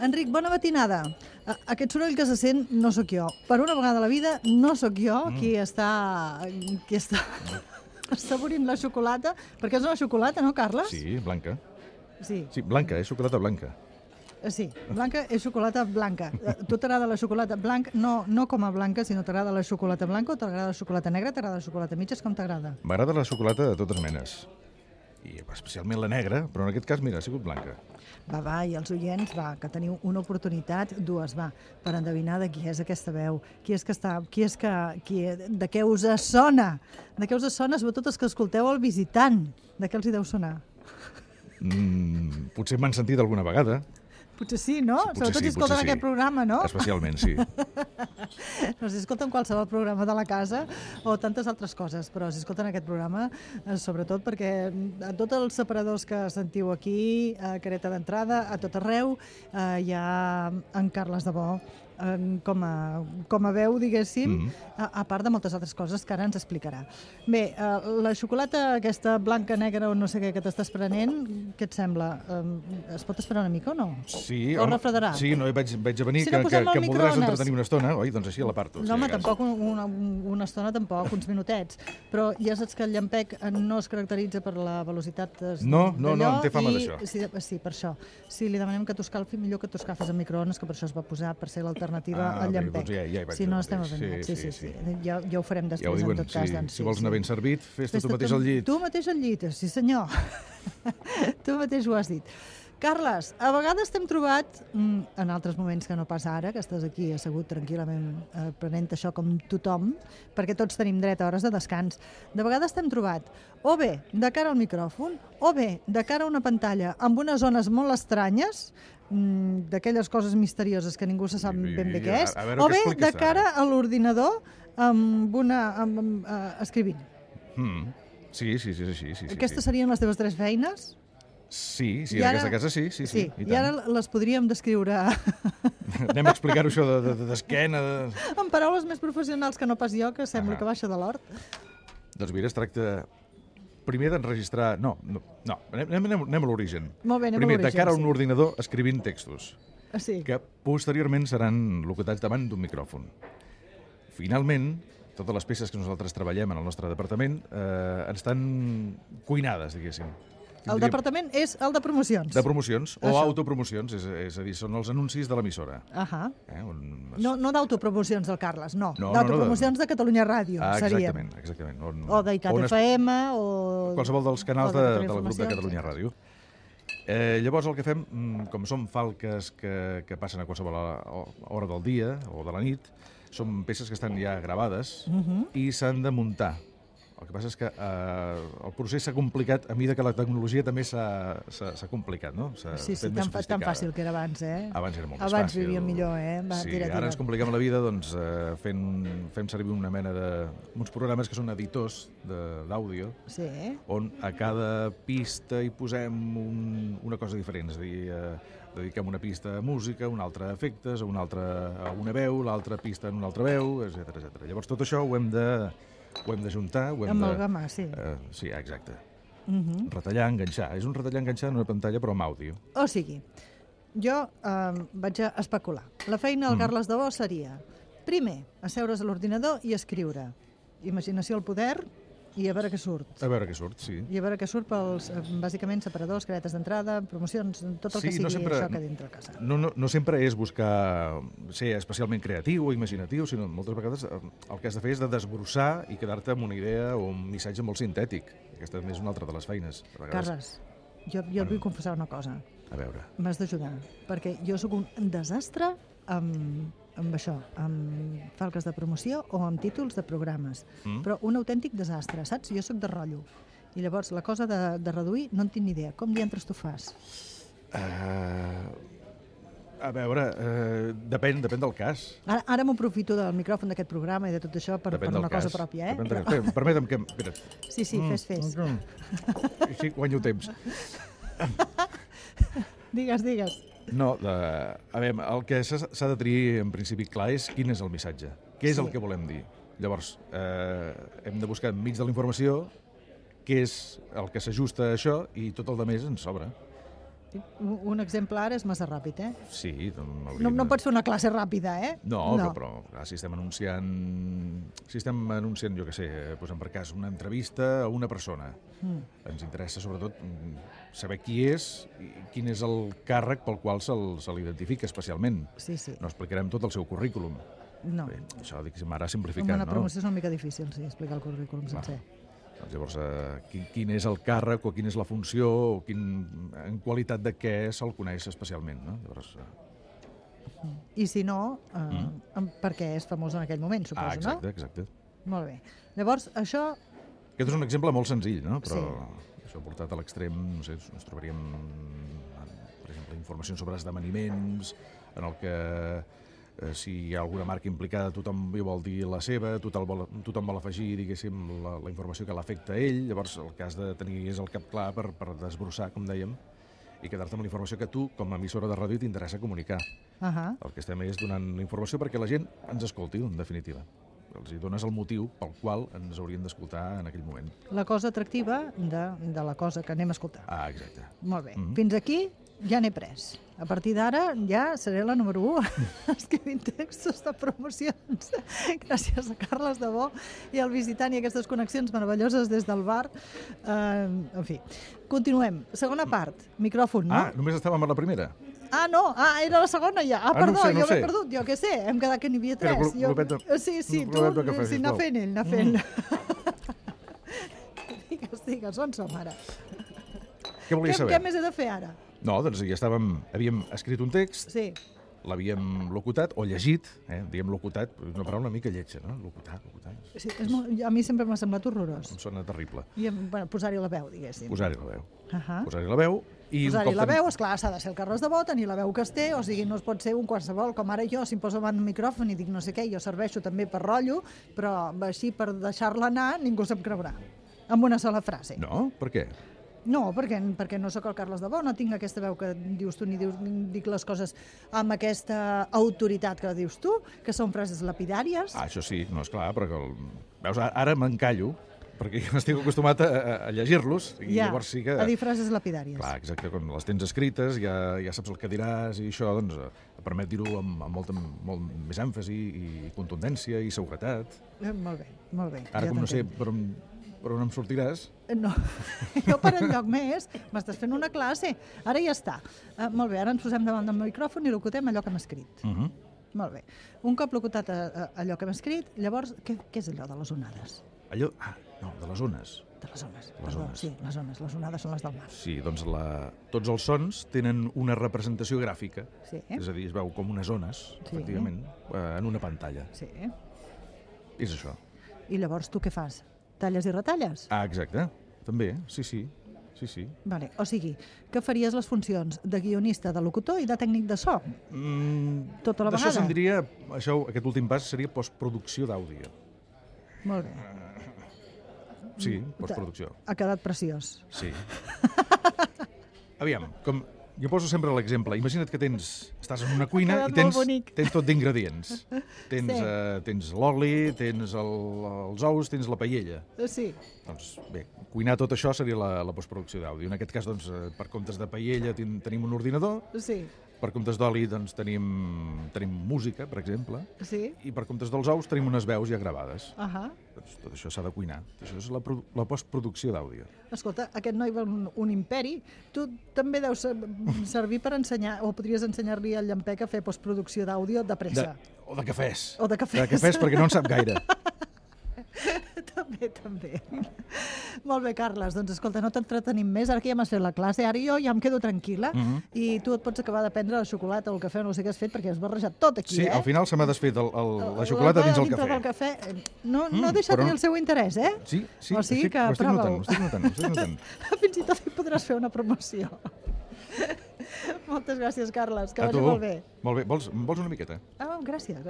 Enric, bona matinada. Aquest soroll que se sent no sóc jo. Per una vegada a la vida no sóc jo qui està assaborint la xocolata, perquè és una xocolata, no, Carles? Sí, blanca. Sí. Sí, blanca, és xocolata blanca. Sí, blanca és xocolata blanca. Tu t'agrada la xocolata blanca, no com a blanca, sinó t'agrada la xocolata blanca o t'agrada la xocolata negra, t'agrada la xocolata mitges, com t'agrada? M'agrada la xocolata de totes menes. I especialment la negra, però en aquest cas, mira, ha sigut blanca. Va, i els oients, que teniu una oportunitat, dues, per endevinar de qui és aquesta veu, de què us sona, sobretot els que escolteu el visitant, de què els hi deu sonar? Potser m'han sentit alguna vegada. Potser sí, no? Sí, sobretot si escolten aquest programa, no? Especialment, sí. No, si escolten qualsevol programa de la casa o tantes altres coses, però si escolten aquest programa, sobretot perquè a tots els separadors que sentiu aquí, a Careta d'Entrada, a tot arreu, hi ha en Carles de Bo com a veu, diguéssim, a part de moltes altres coses que ara ens explicarà. Bé, la xocolata aquesta blanca, negra o no sé què que t'estàs prenent, què et sembla? Es pot esperar una mica o no? Sí, o refredarà? Sí, no, vaig a venir, si no que em voldràs entretenir una estona, oi? Doncs així l'aparto. No, home, tampoc una estona, tampoc, uns minutets. Però ja saps que el llampec no es caracteritza per la velocitat No, em té fama d'això. Sí, per això. Si li demanem que t'ho escalfi, millor que t'ho escalfis a microones, que per això es va posar, per ser l'alternativa al llampec. Doncs ja hi vaig. Si no, estem avergonyats. Sí. Ja ho farem després, en tot cas. Si vols anar ben servit, fes-te tu mateix al llit. Tu mateix al llit, sí senyor. Tu mateix ho has dit. Carles, a vegades t'hem trobat, en altres moments que no pas ara, que estàs aquí assegut tranquil·lament prenent això com tothom, perquè tots tenim dret a hores de descans, de vegades t'hem trobat o bé de cara al micròfon, o bé de cara a una pantalla amb unes zones molt estranyes, d'aquelles coses misterioses que ningú se sap ben bé què és, o bé de cara a l'ordinador escrivint. Sí, és així. Aquestes serien les teves 3 feines? Sí, en aquesta casa sí. I ara les podríem descriure... Anem a explicar-ho això d'esquena... En paraules més professionals que no pas jo, que sembla que baixa de l'hort. Doncs mira, es tracta primer d'enregistrar... No, anem a l'origen. Molt bé, anem a l'origen. Primer, de cara a un ordinador escrivint textos, que posteriorment seran locutats davant d'un micròfon. Finalment, totes les peces que nosaltres treballem en el nostre departament estan cuinades, diguéssim. El departament és el de promocions. De promocions o autopromocions, és a dir, són els anuncis de l'emissora. No d'autopromocions del Carles, no. D'autopromocions de Catalunya Ràdio, serien. Exactament. O d'ICAT FM, o... Qualsevol dels canals del grup de Catalunya Ràdio. Llavors el que fem, com som falques que passen a qualsevol hora del dia o de la nit, són peces que estan ja gravades i s'han de muntar. El que passa és que el procés s'ha complicat a mesura que la tecnologia també s'ha complicat, no? Sí, tan fàcil que era abans, eh? Abans era molt més fàcil. Abans vivíem millor, eh? Sí, ara ens compliquem la vida fem servir una mena uns programes que són editors d'àudio, on a cada pista hi posem una cosa diferent, és a dir, dediquem una pista a música, una altra a efectes, una altra a una veu, l'altra pista en una altra veu, etc. Llavors tot això ho hem de juntar, amalgamar, sí. Sí, exacte. Retallar, enganxar. És un retallar, enganxar en una pantalla, però amb àudio. O sigui, jo vaig a especular. La feina del Carles de Bo seria, primer, asseure's a l'ordinador i escriure. Imaginació al poder i a veure què surt. A veure què surt, sí. I a veure què surt pels, bàsicament, separadors, caretes d'entrada, promocions, tot el que sigui això que dintre casa. No sempre és buscar ser especialment creatiu o imaginatiu, sinó moltes vegades el que has de fer és de desbrossar i quedar-te amb una idea o un missatge molt sintètic. Aquesta és una altra de les feines. Carles, jo et vull confessar una cosa. A veure. M'has d'ajudar, perquè jo sóc un desastre amb això, amb falques de promoció o amb títols de programes. Però un autèntic desastre, saps? Jo sóc de rotllo. I llavors la cosa de reduir no en tinc ni idea. Com diantres tu fas? A veure, depèn del cas. Ara m'aprofito del micròfon d'aquest programa i de tot això per una cosa pròpia, eh? Permetem que... Sí, fes. Així guanyo temps. Digues. No, a veure, el que s'ha de tenir en principi clar és quin és el missatge, què és el que volem dir. Llavors, hem de buscar enmig de la informació què és el que s'ajusta a això i tot el de més ens sobra. Un exemple ara és massa ràpid, eh? Sí. No pots fer una classe ràpida, eh? No. Però si estem anunciant, jo què sé, posem per cas una entrevista a una persona, ens interessa sobretot saber qui és i quin és el càrrec pel qual se l'identifica especialment. Sí. No explicarem tot el seu currículum. No. Bé, això diguéssim ara simplificant, no? Una promoció és una mica difícil, sí, explicar el currículum sencer. Doncs llavors, quin és el càrrec o quina és la funció o en qualitat de què se'l coneix especialment, no? Llavors, I si no, perquè és famós en aquell moment, suposo, no? Exacte. Molt bé. Llavors, això... Aquest és un exemple molt senzill, no? Però això portat a l'extrem, no sé, ens trobaríem, per exemple, informacions sobre esdeveniments, en el que si hi ha alguna marca implicada tothom hi vol dir la seva, tothom vol afegir, diguéssim, la informació que l'afecta a ell, llavors el que has de tenir és el cap clar per desbrossar, com dèiem, i quedar-te amb la informació que tu, com a emissora de ràdio, t'interessa comunicar. El que estem és donant la informació perquè la gent ens escolti, en definitiva. Els hi dones el motiu pel qual ens haurien d'escoltar en aquell moment. La cosa atractiva de la cosa que anem a escoltar. Exacte. Molt bé. Fins aquí ja n'he pres. A partir d'ara ja seré la número 1 escrivint textos de promocions. Gràcies a Carles de Bo i al visitant i aquestes connexions meravelloses des del bar. En fi, continuem. Segona part, micròfon, no? Només estàvem a la primera. No, era la segona ja. Perdó, no jo sé. m'he perdut, jo què sé, hem quedat que n'hi havia 3. Sí, tu, anar fent. Digues, on som ara? Què volies saber? Què més he de fer ara? No, doncs ja havíem escrit un text, l'havíem locutat o llegit, diguem locutat, una paraula una mica lletja, no? Locutar. Sí, a mi sempre m'ha semblat horrorós. Em sona terrible. I posar-hi la veu, diguéssim. Posar-hi la veu. Posar-hi la veu. Posar-hi la veu, esclar, s'ha de ser el Carles de Bo, tenir la veu que es té, o sigui, no es pot ser un qualsevol, com ara jo, si em poso davant un micròfon i dic no sé què, jo serveixo també per rotllo, però així per deixar-la anar ningú se'm creurà. Amb una sola frase. No? Per què? No, perquè no sóc el Carles de Bo, no tinc aquesta veu que dius tu, ni dic les coses amb aquesta autoritat que dius tu, que són frases lapidàries. Això sí, no, esclar, perquè veus, ara m'encallo, perquè jo estic acostumat a llegir-los, i llavors sí que... a dir frases lapidàries. Clar, exacte, quan les tens escrites, ja saps el que diràs, i això doncs, permet dir-ho amb molt més èmfasi i contundència i seguretat. Molt bé. Ara, com no sé per on em sortiràs? No, jo per enlloc més, m'estàs fent una classe. Ara ja està. Molt bé, ara ens posem davant del micròfon i locutem allò que hem escrit. Molt bé. Un cop locutat allò que hem escrit, llavors, què és allò de les onades? No, de les ones. De les ones, perdó, sí, les ones. Les onades són les del mar. Sí, doncs tots els sons tenen una representació gràfica, és a dir, es veu com unes ones, efectivament, en una pantalla. Sí. És això. I llavors tu què fas? Talles i retalles? Exacte, també, sí. Vale. O sigui, que faries les funcions de guionista, de locutor i de tècnic de so? Tota la vegada? D'això se'n diria, aquest últim pas seria postproducció d'àudio. Molt bé. Sí, postproducció. Ha quedat preciós. Sí. Aviam, jo poso sempre l'exemple. Imagina't que estàs en una cuina i tens tot d'ingredients. Tens l'oli, tens els ous, tens la paella. Sí. Doncs bé, cuinar tot això seria la postproducció d'àudio. En aquest cas, doncs, per comptes de paella tenim un ordinador. Sí. Per comptes d'oli, doncs, tenim música, per exemple. Sí. I per comptes dels ous tenim unes veus ja gravades. Doncs tot això s'ha de cuinar. Això és la postproducció d'àudio. Escolta, aquest noi va un imperi. Tu també deus servir per ensenyar, o podries ensenyar-li al Llampec a fer postproducció d'àudio de pressa. O de cafès. O de cafès. De cafès, perquè no en sap gaire. També. Molt bé, Carles. Doncs escolta, no t'entretenim més. Ara que ja m'has fet la classe, ara jo ja em quedo tranquil·la i tu et pots acabar de prendre la xocolata o el cafè, no sé què has fet, perquè has barrejat tot aquí, Sí, al final se m'ha desfet la xocolata dins el cafè. No ha deixat ni el seu interès, eh? Sí, o sigui que ho estic notant. Fins i tot hi podràs fer una promoció. Moltes gràcies, Carles, que vagi molt bé. Molt bé. Vols una miqueta? Gràcies.